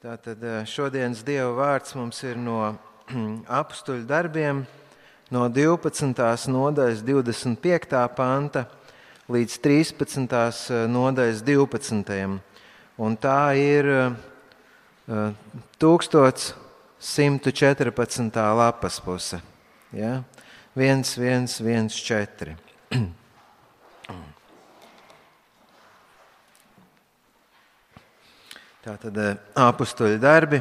Tātad šodienas Dieva vārds mums ir no Apustuļu darbiem, no 12. nodaļas 25. panta līdz 13. nodaļas 12. Un tā ir 1114. lapas puse. Ja? 1114. Tātad Apustuļu darbi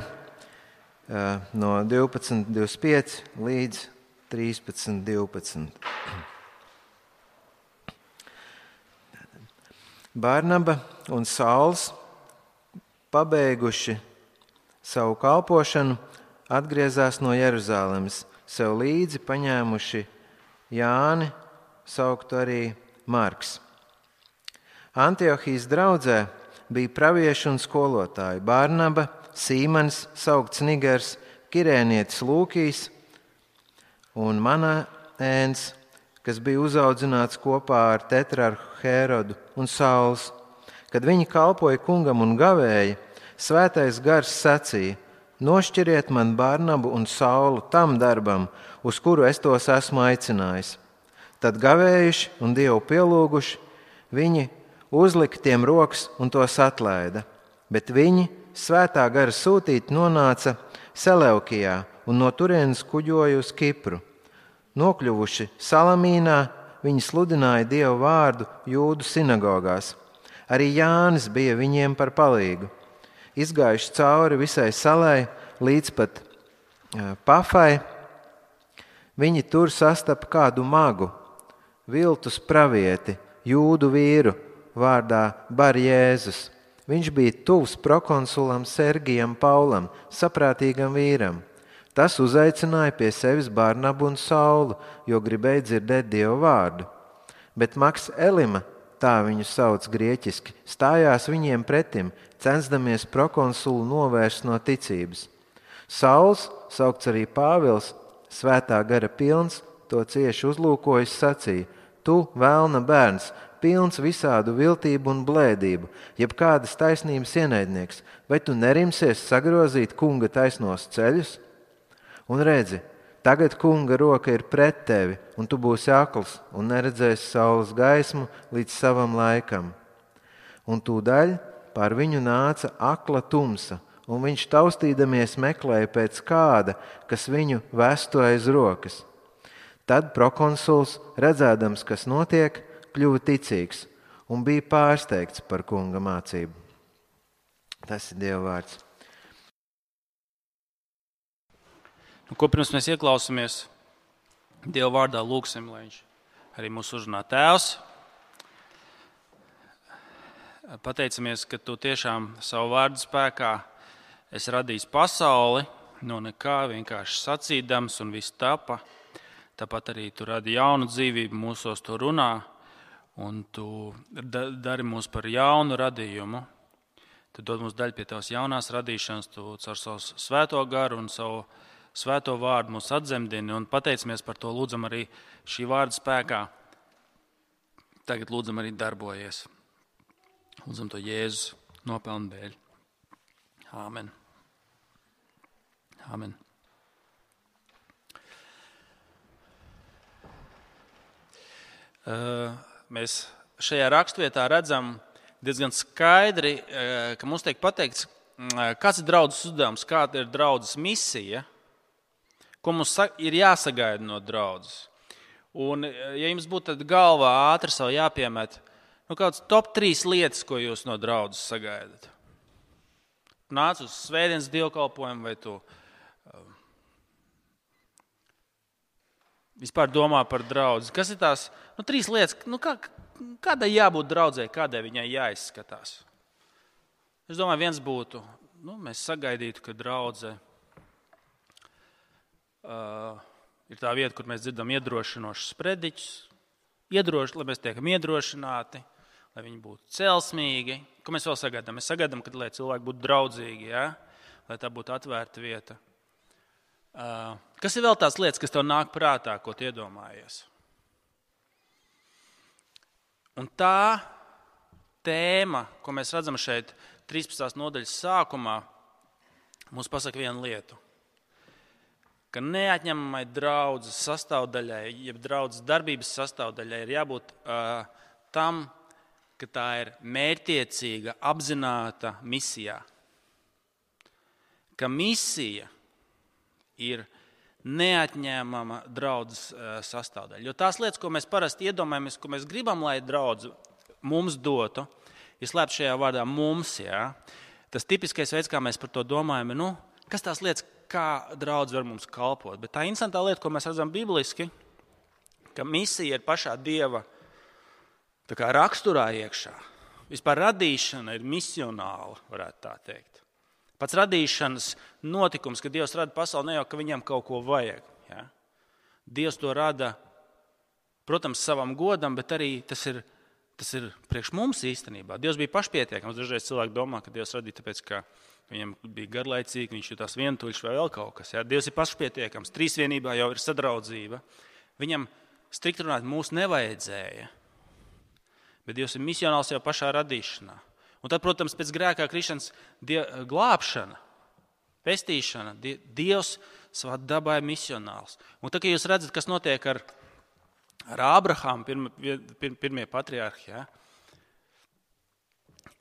no 12.25 līdz 13.12. Barnaba un Sauls, pabeiguši savu kalpošanu, atgriezās no Jeruzalemes, sev līdzi paņēmuši Jāni, sauktu arī Marks. Antiohijas draudzē bija pravieši un skolotāji Barnaba, Sīmanis, saukts Nigers, kirēnietis Lūkijs un Manaēns, kas bija uzaudzināts kopā ar tetrarhu Hērodu, un Sauls. Kad viņi kalpoja kungam un gavēja, Svētais Gars sacīja: nošķiriet man Barnabu un Saulu tam darbam, uz kuru es tos esmu aicinājis. Tad gavējuši un Dievu pielūguši, viņi uzlika tiem rokas un tos atlaida, bet viņi, Svētā Gara sūtīti, nonāca Seleukijā un no turienes kuģoja uz Kipru. Nokļuvuši Salamīnā, viņi sludināja Dievu vārdu jūdu sinagogās. Arī Jānis bija viņiem par palīgu. Izgājuši cauri visai salai līdz pat Pafai, viņi tur sastapa kādu magu, viltus pravieti, jūdu vīru vārdā Barjēzus. Viņš bija tuvs prokonsulam Sergijam Paulam, saprātīgam vīram. Tas uzaicināja pie sevis Barnabu un Saulu, jo gribēja dzirdēt Dieva vārdu. Bet Maks Elima, tā viņu sauc grieķiski, stājās viņiem pretim, censdamies prokonsulu novērst no ticības. Sauls, saukts arī Pāvils, Svētā Gara pilns, to cieši uzlūkojis, sacīja: tu, velna bērns, pilns visādu viltību un blēdību, jeb kādas taisnības ienaidnieks, vai tu nerimsies sagrozīt kunga taisnos ceļus? Un redzi, tagad kunga roka ir pret tevi, un tu būsi akls un neredzēsi saules gaismu līdz savam laikam. Un tūdaļ pār viņu nāca akla tumsa, un viņš taustīdamies meklēja pēc kāda, kas viņu vestu aiz rokas. Tad prokonsuls, redzēdams, kas notiek, kļuva ticīgs un bija pārsteigts par kunga mācību. Tas ir Dieva vārds. Ko pirms mēs ieklausāmies Dieva vārdā, lūgsim, lai viņš arī mūs uzrunā. Tēvs, pateicamies, ka tu tiešām savu vārdu spēkā esi radījis pasauli no nekā, vienkārši sacīdams, un viss tapa. Tāpat arī tu radi jaunu dzīvību, mūsos tu runā, un tu dari mūs par jaunu radījumu. Tu dod mums daļu pie tavas jaunās radīšanas, tu caur savu svēto garu un savu svēto vārdu mūs atzemdini, un pateicamies par to, lūdzam arī šī vārda spēkā. Tagad lūdzam arī darbojies. Lūdzam to Jēzus nopelnu dēļ. Āmen. Āmen. Mēs šajā raksturvietā redzam diezgan skaidri, ka mums tiek pateikts, kāds ir draudzes uzdevums, kāda ir draudzes misija, ko mums ir jāsagaida no draudzes. Un, ja jums būtu tad galvā ātri savu jāpiemet, kāds top 3 lietas, ko jūs no draudzes sagaidat? Nāc uz svētdienas dievkalpojumu, vai tu vispār domā par draudzi? Kas ir tās 3 lietas, kādai jābūt draudzei, kādai viņai jāizskatās? Es domāju, viens būtu, mēs sagaidītu, ka draudze ir tā vieta, kur mēs dzirdam iedrošinošus prediķus, lai mēs tiekam iedrošināti, lai viņi būtu celsmīgi. Ko mēs vēl sagaidām? Mēs sagaidām, lai cilvēki būtu draudzīgi, ja? Lai tā būtu atvērta vieta. Kas ir vēl tās lietas, kas tev nāk prātā, ko tu iedomājies? Un tā tēma, ko mēs redzam šeit 13. nodaļas sākumā, mums pasaka vienu lietu, ka neatņemamai draudzes sastāvdaļai, jeb draudzes darbības sastāvdaļai ir jābūt tam, ka tā ir mērķtiecīga, apzināta misijā. Ka misija ir neatņēmama draudzes sastāvdaļa. Jo tās lietas, ko mēs parasti iedomājamies, ko mēs gribam, lai draudze mums dotu, ir slēpts šajā vārdā mums. Ja? Tas tipiskais veids, kā mēs par to domājam, ir, kas tās lietas, kā draudze var mums kalpot. Bet tā interesantā lieta, ko mēs redzam bibliski, ka misija ir pašā Dieva tā kā raksturā iekšā. Vispār radīšana ir misionāla, varētu tā teikt. Pats radīšanas notikums, kad Dievs rada pasauli, ne jau, ka viņam kaut ko vajag. Ja? Dievs to rada, protams, savam godam, bet arī tas ir priekš mums īstenībā. Dievs bija pašpietiekams. Dažreiz cilvēki domā, ka Dievs radīja tāpēc, ka viņam bija garlaicīgi, viņš jutās vientuļš vai vēl kaut kas. Ja? Dievs ir pašpietiekams. Trīsvienībā jau ir sadraudzība. Viņam strikt runāt mūs nevajadzēja. Bet Dievs ir misionāls jau pašā radīšanā. Un tad, protams, pēc grēkā krišanas glābšana, pestīšana, Dievs savā dabā ir misionāls. Un tad, kad jūs redzat, kas notiek ar Ābrahāmu, pirmie patriarhi, ja?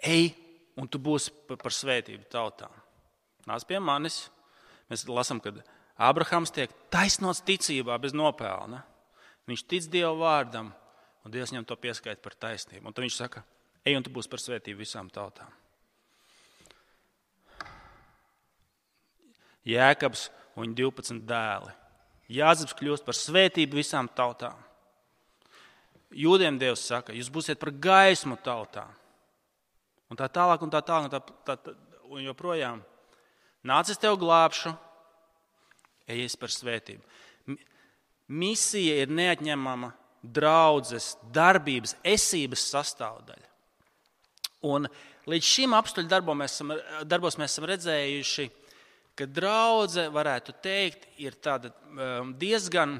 Ej, un tu būsi par svētību tautām. Nāc pie manis. Mēs lasām, kad Ābrahāms tiek taisnots ticībā bez nopelna. Viņš tic Dieva vārdam, un Dievs viņam to pieskaita par taisnību. Un tad viņš saka, ej, un tu būsi par svētību visām tautām. Jēkabs un viņa 12 dēli. Jāzeps kļūst par svētību visām tautām. Jūdiem Dievs saka, jūs būsiet par gaismu tautām. Un tā tālāk, un tā tālāk, un joprojām. Nāc, es tev glābšu, ejies par svētību. Misija ir neatņemama draudzes, darbības, esības sastāvdaļa. Un līdz šim apstuļu darbos mēs esam redzējuši, ka draudze, varētu teikt, ir tāda diezgan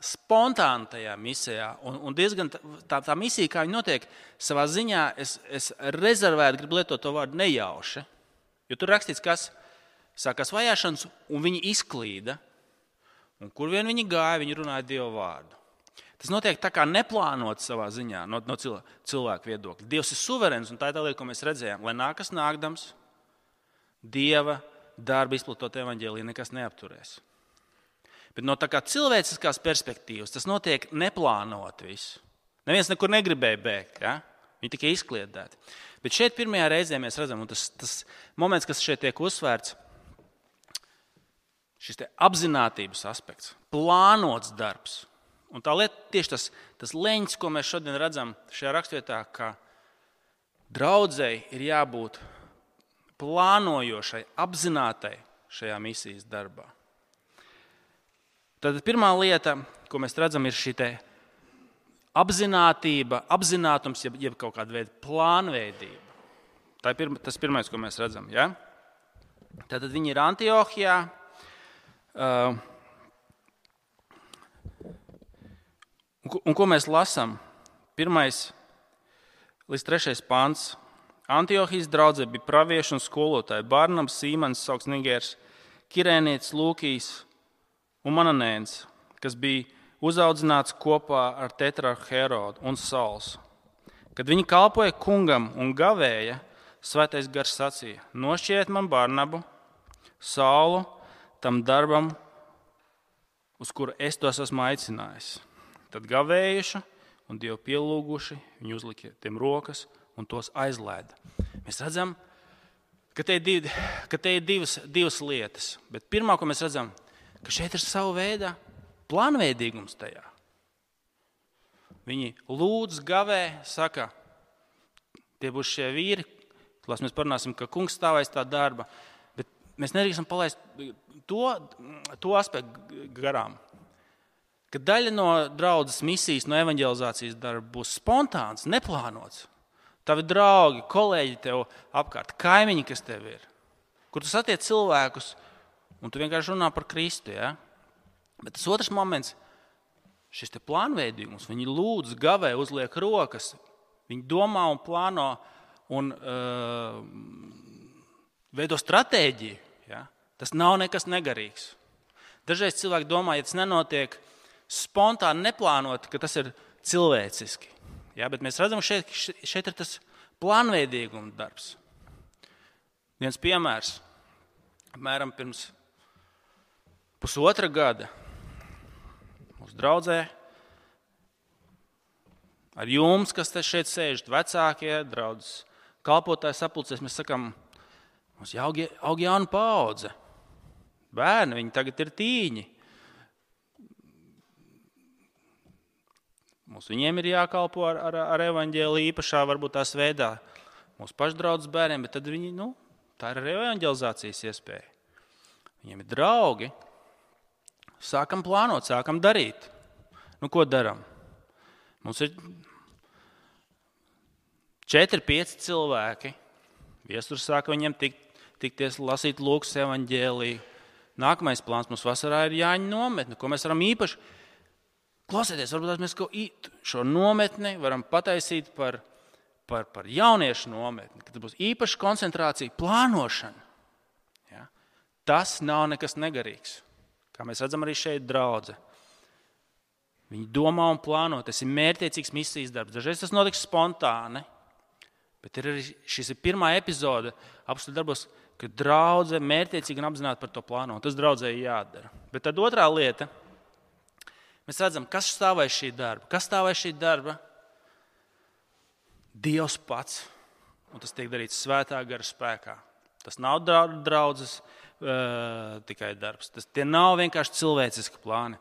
spontāna tajā misijā. Un diezgan tā misija, kā viņa notiek, savā ziņā es rezervēti gribu lietot to vārdu nejauši. Jo tur rakstīts, kas sākās vajāšanas, un viņi izklīda. Un kur vien viņi gāja, viņi runāja Dieva vārdu. Tas notiek tā kā neplānot savā ziņā no cilvēku viedokļa. Dievs ir suverēns, un tā ir tā lieta, ko mēs redzējām. Lai nākas nākdams, Dieva darba izplatot evaņģēliju nekas neapturēs. Bet no tā kā cilvēciskās perspektīvas tas notiek neplānot visu. Neviens nekur negribēja bēgt, ja? Viņi tikai izkliedēti. Bet šeit pirmajā reizē mēs redzam, un tas moments, kas šeit tiek uzsvērts, šis te apzinātības aspekts, plānots darbs. Un tā lieta tieši tas leņķis, ko mēs šodien redzam šajā rakstvietā, ka draudzei ir jābūt plānojošai, apzinātai šajā misijas darbā. Tad pirmā lieta, ko mēs redzam, ir šī te apzinātība, apzinātums, jeb kaut kāda veida plānveidība. Tas pirmais, ko mēs redzam. Ja? Tad viņi ir Antiohijā. Un ko mēs lasām? 1. līdz 3. pants. Antiohijas draudzē bija pravieši un skolotāji Barnabs, Sīmanis, saukts Nigērs, Kirēnietis, Lūkijs un Mananēns, kas bija uzaudzināts kopā ar tetrarhu Herodu un Sauls. Kad viņi kalpoja kungam un gavēja, Svētais Gars sacīja: nošķiriet man Barnabu, Saulu, tam darbam, uz kuru es tos esmu aicinājis. Tad gavējuši un Dievu pielūguši, viņi uzlika tiem rokas un tos aizlēda. Mēs redzam, ka te ir divas lietas. Bet pirmā, ko mēs redzam, ka šeit ir sava veida plānveidīgums tajā. Viņi lūdz, gavē, saka, tie būs šie vīri, klās mēs parunāsim, ka kungs stāvēs tā darba, bet mēs nedrīkstam palaist to aspektu garām. Ka daļa no draudzes misijas, no evaņģelizācijas darba būs spontāns, neplānots. Tavi draugi, kolēģi tev apkārt, kaimiņi, kas tev ir, kur tu satiec cilvēkus un tu vienkārši runā par Kristu. Ja? Bet tas otrs moments, šis te plānveidīgums, viņi lūdz, gavē, uzliek rokas, viņi domā un plāno, un veido stratēģiju. Ja? Tas nav nekas negarīgs. Dažreiz cilvēki domā, ja tas nenotiek spontāni, neplānoti, ka tas ir cilvēciski. Ja? Bet mēs redzam, ka šeit ir tas plānveidīguma darbs. Viens piemērs. Apmēram pirms pusotra gada mūsu draudzē ar jums, kas te šeit sēžat, vecākie, draudzes kalpotāji sapulcēs, mēs sakām, mums aug jauna paudze. Bērni, viņi tagad ir tīņi. Viņiem ir jākalpo ar evaņģēliju īpašā, varbūt tās veidā mūsu pašdraudzes bērniem, bet tad viņi, tā ir evaņģelizācijas iespēja. Viņiem ir draugi. Sākam plānot, sākam darīt. Ko daram? Mums ir 4-5 cilvēki. Viesturs sāka viņiem tikties, lasīt Lūkas evaņģēliju. Nākamais plāns mums vasarā ir Jāņa nometne, ko mēs varam īpaši klausieties. Varbūt mēs šo nometni varam pataisīt par jauniešu nometni, kad būs īpaša koncentrācija, plānošana. Ja? Tas nav nekas negarīgs. Kā mēs redzam arī šeit draudze. Viņi domā un plāno, tas ir mērķtiecīgs misijas darbs. Dažreiz tas notiks spontāni, bet šis ir pirmā epizode apstuļu darbos, kad draudze mērķtiecīgi un apzināti par to plāno. Tas draudzē jādara. Bet tad otrā lieta, mēs redzam, kas stāv aiz šī darba. Kas stāv aiz šī darba? Dievs pats. Un tas tiek darīts svētā gara spēkā. Tas nav draudzes tikai darbs. Tie nav vienkārši cilvēciski plāni.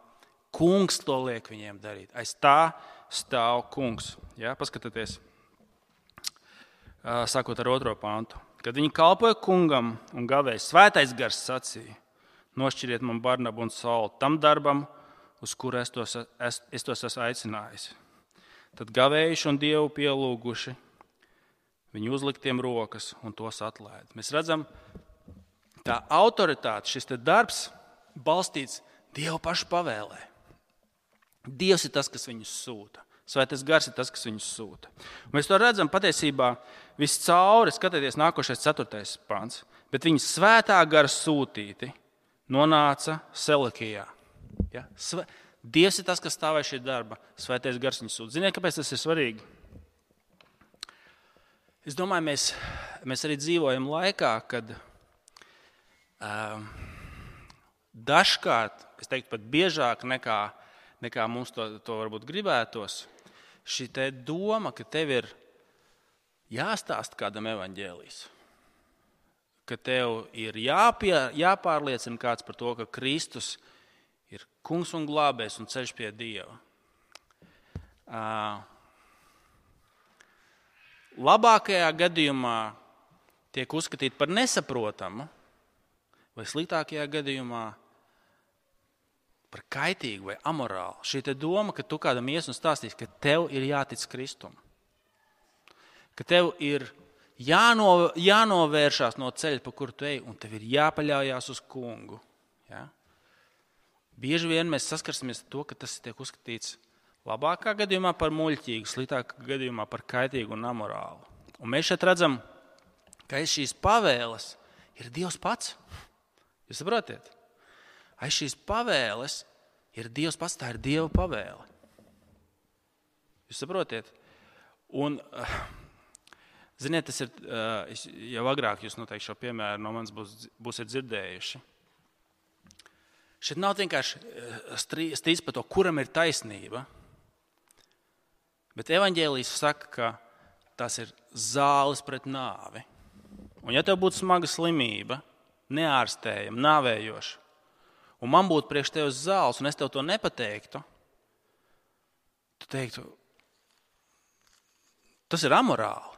Kungs to liek viņiem darīt. Aiz tā stāv kungs. Ja? Paskatieties, sākot ar 2. pantu. Kad viņi kalpoja kungam un gavēja, svētais gars sacīja, nošķiriet man Barnabu un Saulu tam darbam, uz kuru es tos esmu aicinājis. Tad gavējuši un Dievu pielūguši, viņi uzliktiem rokas un tos atlaida. Mēs redzam, tā autoritāte, šis darbs balstīts Dieva pašu pavēlē. Dievs ir tas, kas viņus sūta. Svētais gars ir tas, kas viņus sūta. Un mēs to redzam patiesībā viscauri, skatieties nākošais 4. pants. Bet viņi svētā gara sūtīti nonāca Selekijā. Ja? Dievs ir tas, kas stāvēja šī darba. Svētais gars viņus sūta. Ziniet, kāpēc tas ir svarīgi? Es domāju, mēs arī dzīvojam laikā, kad dažkārt, es teiktu pat biežāk nekā mums to varbūt gribētos, šī te doma, ka tev ir jāstāsta kādam evaņģēlijs, ka tev ir jāpārliecina kāds par to, ka Kristus ir kungs un glābējs un ceļš pie Dieva. Labākajā gadījumā tiek uzskatīta par nesaprotamu, vai sliktākajā gadījumā par kaitīgu vai amorālu. Šī te doma, ka tu kādam ies un stāstīsi, ka tev ir jātic Kristum. Ka tev ir jānovēršās no ceļa, pa kuru tu ej, un tev ir jāpaļaujās uz kungu. Ja? Bieži vien mēs saskarsimies ar to, ka tas tiek uzskatīts labākā gadījumā par muļķīgu, sliktākā gadījumā par kaitīgu un amorālu. Un mēs šeit redzam, ka aiz šīs pavēles ir Dievs pats. Jūs saprotiet? Aiz šīs pavēles ir Dievs pats, tā ir Dieva pavēle. Jūs saprotiet? Un, ziniet, tas ir, jau agrāk jūs noteikti šo piemēru no manis būsiet dzirdējuši. Šeit nav vienkārši strīds par to, kuram ir taisnība, bet evaņģēlijs saka, ka tas ir zāles pret nāvi. Un ja tev būtu smaga slimība, neārstējama, nāvējoša, un man būtu priekš tevis zāles, un es tev to nepateiktu, tu teiktu, tas ir amorāli.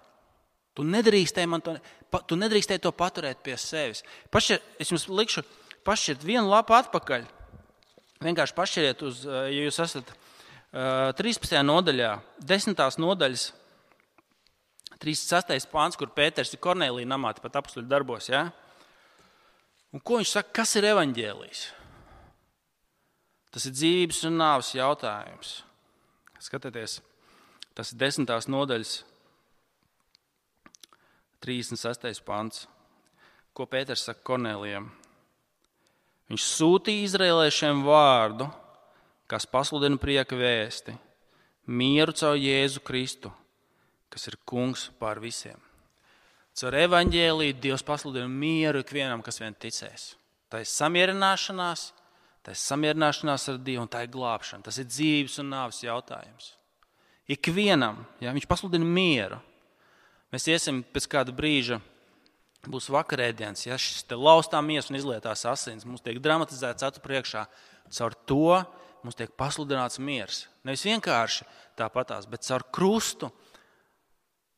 Tu nedrīkstēji to paturēt pie sevis. Es jums likšu pašķirt vienu lapu atpakaļ. Vienkārši pašķiriet ja jūs esat 13. nodaļā, 10. nodaļas, 36. pāns, kur Pēters ir Kornēlija namā, pat apstuļu darbos. Ja? Un ko viņš saka, kas ir evaņģēlijs? Tas ir dzīvības un nāves jautājums. Skatieties, tas ir 10. nodaļas 36. pants. ko Pēters saka Kornelijam. Viņš sūtīja izraēliešiem vārdu, kas pasludina prieka vēsti, mieru caur Jēzu Kristu, kas ir kungs pār visiem. Caur evaņģēliju Dievs pasludina mieru ikvienam, kas vien ticēs. Tā ir samierināšanās ar Dievu un tā ir glābšana. Tas ir dzīves un nāves jautājums. Ikvienam, viņš pasludina mieru. Mēs iesim pēc kāda brīža, būs vakarēdienas, šis te laustā miesa un izlietās asins. Mums tiek dramatizēts acu priekšā. Caur to mums tiek pasludināts miers. Nevis vienkārši tāpatās, bet caur krustu.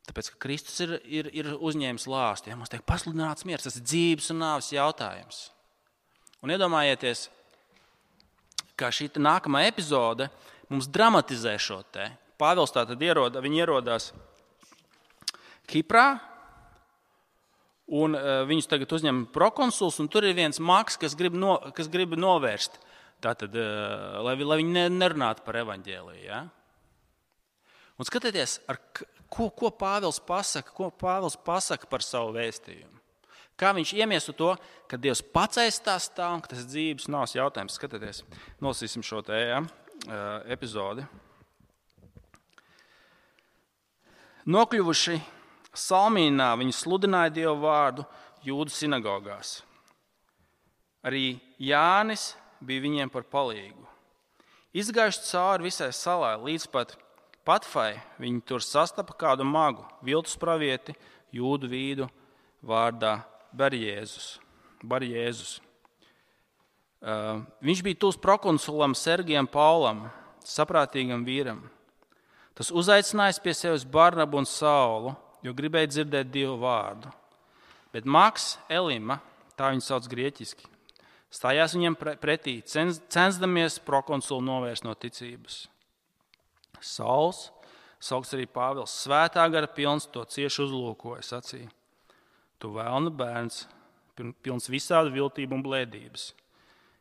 Tāpēc, ka Kristus ir uzņēmis lāstu. Mums tiek pasludināts miers. Tas ir dzīves un nāves jautājums. Un iedomājieties, kā šī nākamā epizode mums dramatizē šo te. Pāvils tātad ierodās Kiprā, un viņus tagad uzņem prokonsuls, un tur ir viens mags, kas grib novērst, tātad, lai viņi nerunātu par evaņģēliju. Ja? Un skatieties, ko Pāvils pasaka par savu vēstījumu. Kā viņš iemieso to, ka Dievs pats aizstās tā, un ka tas dzīves nāves jautājums. Skatieties, nolasīsim šo te epizodi. Nokļuvuši Salmīnā, viņi sludināja Dievu vārdu Jūdu sinagogās. Arī Jānis bija viņiem par palīgu. Izgājuši cauri visai salai, līdz pat Patfai, viņi tur sastapa kādu magu, viltus pravieti, Jūdu vīdu vārdā Barjēzus. Viņš bija tūs prokonsulam Sergijam Paulam, saprātīgam vīram. Tas uzaicinājis pie sevis Barnabu un Saulu, jo gribēja dzirdēt Dievu vārdu. Bet Maks Elima, tā viņu sauc grieķiski, stājās viņam pretī, censdamies prokonsulu novērst no ticības. Sauls, saukts arī Pāvils, svētā gara pilns, to cieši uzlūkoja, sacīja: Tu vēlna bērns, pilns visādu viltību un blēdības,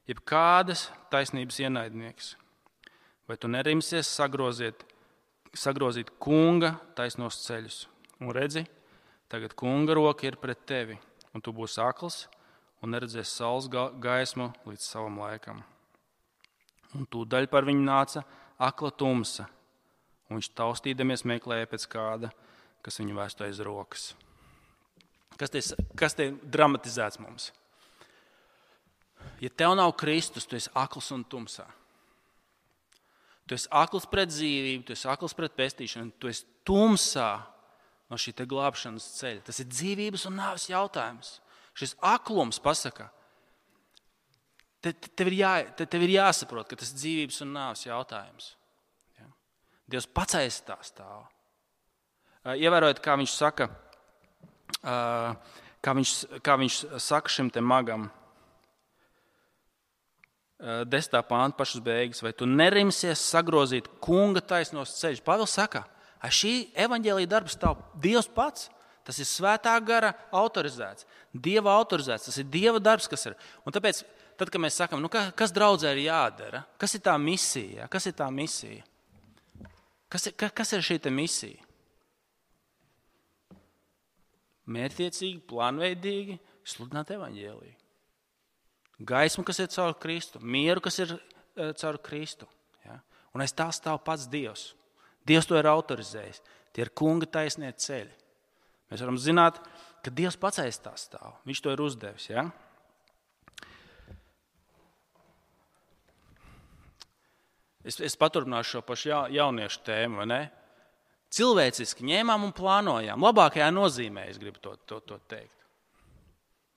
jeb kādas taisnības ienaidnieks. Vai tu nerimsies sagrozīt kunga taisnos ceļus? Un redzi, tagad kunga roka ir pret tevi, un tu būsi akls un neredzēsi saules gaismu līdz savam laikam. Un tūdaļ par viņu nāca akla tumsa, un viņš taustīdamies meklēja pēc kāda, kas viņu vēstu aiz rokas. Kas te dramatizēts mums? Ja tev nav Kristus, tu esi akls un tumsā. Tu esi akls pret dzīvību, tu esi akls pret pestīšanu, tu esi tumsā no šī te glābšanas ceļa. Tas ir dzīvības un nāves jautājums. Šis aklums pasaka, tev ir jāsaprot, ka tas ir dzīvības un nāves jautājums. Ja? Dievs pats aiz tā stāv. Ievērojot, kā viņš saka, kā viņš saka šim te magam, 10. pānta pašas beigas, vai tu nerimsies sagrozīt kunga taisnos ceļus? Pāvils saka, šī evaņģēlija darbs stāv Dievs pats. Tas ir svētā gara autorizēts, Dieva autorizēts, tas ir Dieva darbs, kas ir. Un tāpēc, tad, kad mēs sakam, kas draudzē ir jādara, kas ir tā misija? Kas ir tā misija? Kas ir šī te misija? Mērķtiecīgi, plānveidīgi sludināt evaņģēliju. Gaismu, kas ir caur Kristu, mieru, kas ir caur Kristu. Ja? Un aiz tā stāv pats Dievs. Dievs to ir autorizējis. Tie ir kunga taisnie ceļi. Mēs varam zināt, ka Dievs pats aiz tā stāv. Viņš to ir uzdevis. Ja? Es paturpināšu šo pašu jauniešu tēmu, vai ne? Cilvēciski ņēmām un plānojām. Labākajā nozīmē es gribu to teikt.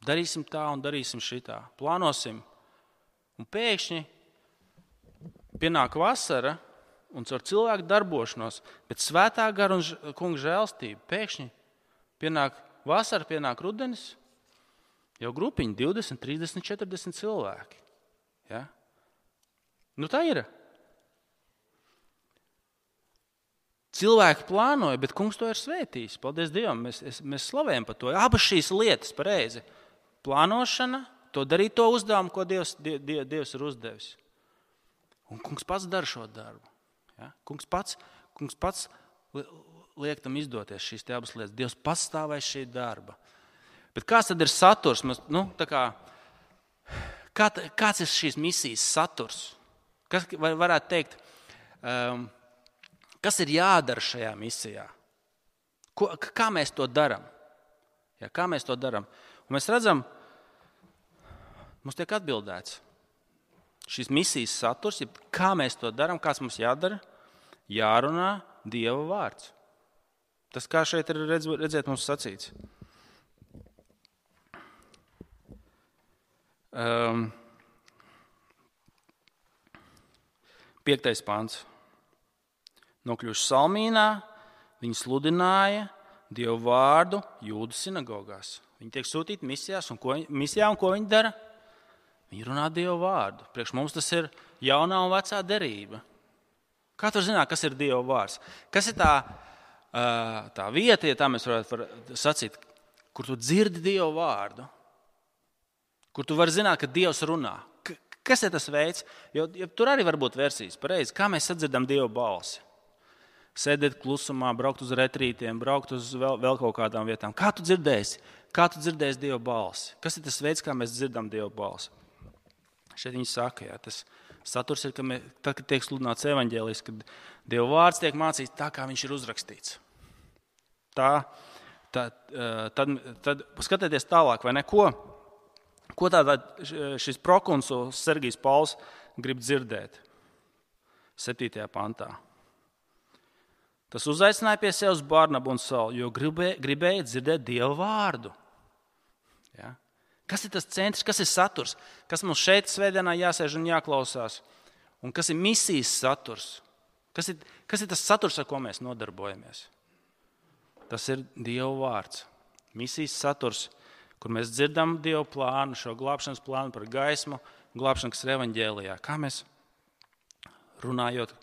Darīsim tā un darīsim šitā. Plānosim. Un pēkšņi pienāk vasara un caur cilvēku darbošanos, bet svētā gara un kunga žēlstība. Pēkšņi pienāk vasara, pienāk rudenis, jau grupiņi 20, 30, 40 cilvēki. Ja? Tā ir. Cilvēki plānoja, bet kungs to ir svētījis. Paldies Dievam, mēs slavējam par to. Abas šīs lietas pareizi. Plānošana, to darīt to uzdevumu, ko Dievs ir uzdevis. Un kungs pats dara šo darbu. Ja? Kungs pats liek tam izdoties šīs te abas lietas. Dievs pats stāv aiz šī darba. Bet kāds tad ir saturs? Kāds ir šīs misijas saturs? Kas varētu teikt, kas ir jādara šajā misijā? Kā mēs to darām? Ja, kā mēs to darām? Un mēs redzam, mums tiek atbildēts. Šīs misijas saturs, kā mēs to darām, kāds mums jādara? Jārunā Dieva vārds. Tas, kā šeit ir redzēt, mums sacīts. 5. pants. Nokļuvuši Salmīnā, viņi sludināja Dievu vārdu Jūdu sinagogās. Viņi tiek sūtīti misijā, un ko viņi dara? Viņi runā Dievu vārdu. Priekš mums tas ir jaunā un vecā derība. Kā tu zināt, kas ir Dieva vārds? Kas ir tā vieta, ja tā mēs varētu sacīt, kur tu dzirdi Dievu vārdu? Kur tu vari zināt, ka Dievs runā? Kas ir tas veids? Jo tur arī var būt versijas pareizi. Kā mēs sadzirdam Dieva balsi? Sēdēt klusumā, braukt uz retrītiem, braukt uz vēl kaut kādām vietām. Kā tu dzirdēsi? Kā tu dzirdēsi Dieva balsi? Kas ir tas veids, kā mēs dzirdam Dieva balsi? Šeit viņi saka, tas saturs ir, tad, kad tiek sludināts evaņģēlijs, kad Dieva vārds tiek mācīts tā, kā viņš ir uzrakstīts. Tad skatieties tālāk, vai ne? Ko tātad šis prokonsuls Sergijs Pauls grib dzirdēt? 7. pantā. Tas uzaicināja pie sevis Barnabu un Saulu, jo gribēja dzirdēt Dieva vārdu. Ja? Kas ir tas centrs, kas ir saturs? Kas mums šeit svētdienā jāsēž un jāklausās? Un kas ir misijas saturs? Kas ir tas saturs, ar ko mēs nodarbojamies? Tas ir Dieva vārds. Misijas saturs, kur mēs dzirdam Dieva plānu, šo glābšanas plānu par gaismu, glābšanu, kas ir evaņģēlijā. Kā mēs runājot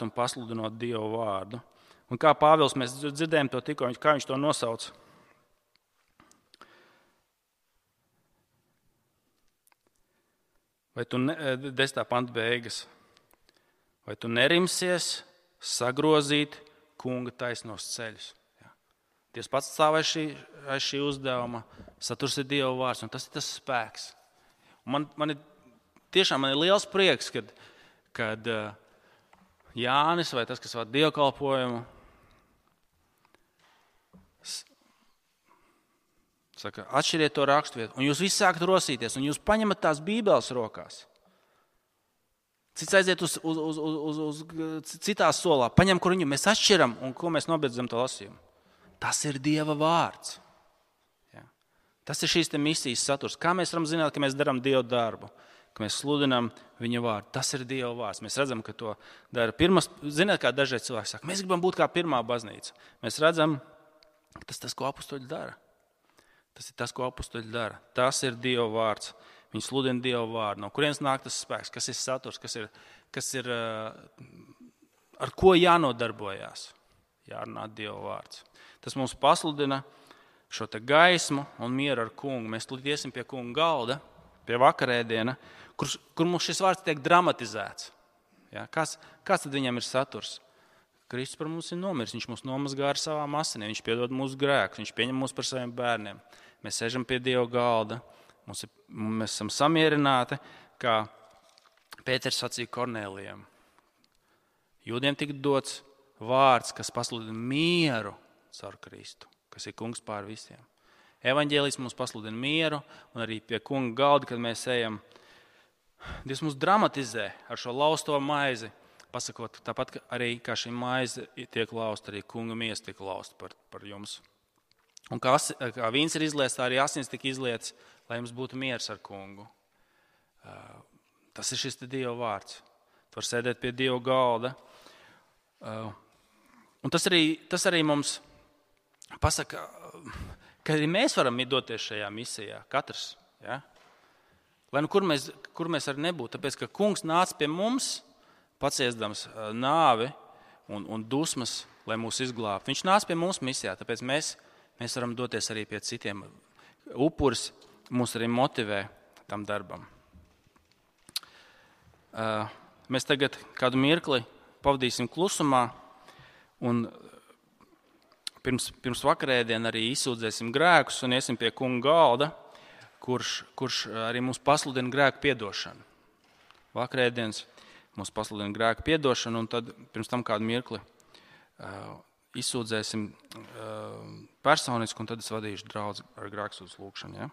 un pasludinot Dieva vārdu. Un kā Pāvils, mēs dzirdējām to tikko, kā viņš to nosauc. Vai tu 10. panta beigas. Vai tu nerimsies sagrozīt kunga taisnos ceļus? Ja. Dievs pats stāv aiz šī uzdevuma. Saturs ir Dieva vārds, un tas ir tas spēks. Man ir liels prieks, kad Jānis vai tas, kas vada dievkalpojumu, saka, atšķiriet to raksturvietu, un jūs visi sākat rosīties, un jūs paņemat tās bībeles rokās. Cits aiziet uz citā solā, paņem, kur viņu mēs atšķiram, un ko mēs nobeidzam to lasījumu. Tas ir Dieva vārds. Ja. Tas ir šīs misijas saturs. Kā mēs varam zināt, ka mēs darām Dieva darbu? Ka mēs sludinām viņa vārdu. Tas ir Dieva vārds. Mēs redzam, ka to dara pirmas. Ziniet, kā dažreiz cilvēki saka, mēs gribam būt kā pirmā baznīca. Mēs redzam, ka tas ir tas, ko apustuļi dara. Tas ir tas, ko apustuļi dara. Tas ir Dieva vārds. Viņi sludina Dieva vārdu. No kurienes nāk tas spēks? Kas ir saturs? Kas ir ar ko jānodarbojās? Jārunā Dieva vārds. Tas mums pasludina šo te gaismu un mieru ar kungu. Mēs iesim pie kunga galda, pie vakarēdiena, kur mums šis vārds tiek dramatizēts. Ja? Kāds tad viņam ir saturs? Kristus par mums ir nomiris, viņš mūs nomazgā ar savām asinīm, viņš piedod mūsu grēkus, viņš pieņem mūs par saviem bērniem. Mēs sēžam pie Dieva galda, mēs esam samierināti, kā Pēters sacīja Kornēlijam. Jūdiem tika dots vārds, kas pasludina mieru caur Kristu, kas ir kungs pār visiem. Evaņģēlijs mums pasludina mieru, un arī pie kunga galda, kad mēs ejam, Dievs mums dramatizē ar šo lausto maizi, pasakot, tāpat arī kā šī maize tiek lausta, arī kunga miesa tiek lausta par jums. Un kā vīns ir izliets, tā arī asins tika izliets, lai jums būtu miers ar kungu. Tas ir šis Dieva vārds. Tu vari sēdēt pie Dieva galda. Un tas arī mums pasaka, ka arī mēs varam doties šajā misijā, katrs. Ja? Lai nu kur mēs arī nebūtu, tāpēc, ka kungs nāca pie mums, paciestams nāvi un dusmas, lai mūs izglābtu. Viņš nāca pie mums misijā, tāpēc mēs varam doties arī pie citiem. Upuris mūs arī motivē tam darbam. Mēs tagad kādu mirkli pavadīsim klusumā un pirms vakarēdiena arī izsūdzēsim grēkus un iesim pie kunga galda, kurš arī mums pasludina grēku piedošanu. Vakarēdienas mums pasludina grēku piedošanu, un tad pirms tam kādu mirkli izsūdzēsim personiski, un tad es vadīšu draudzi ar grēksūdzes lūgšanu. Ja?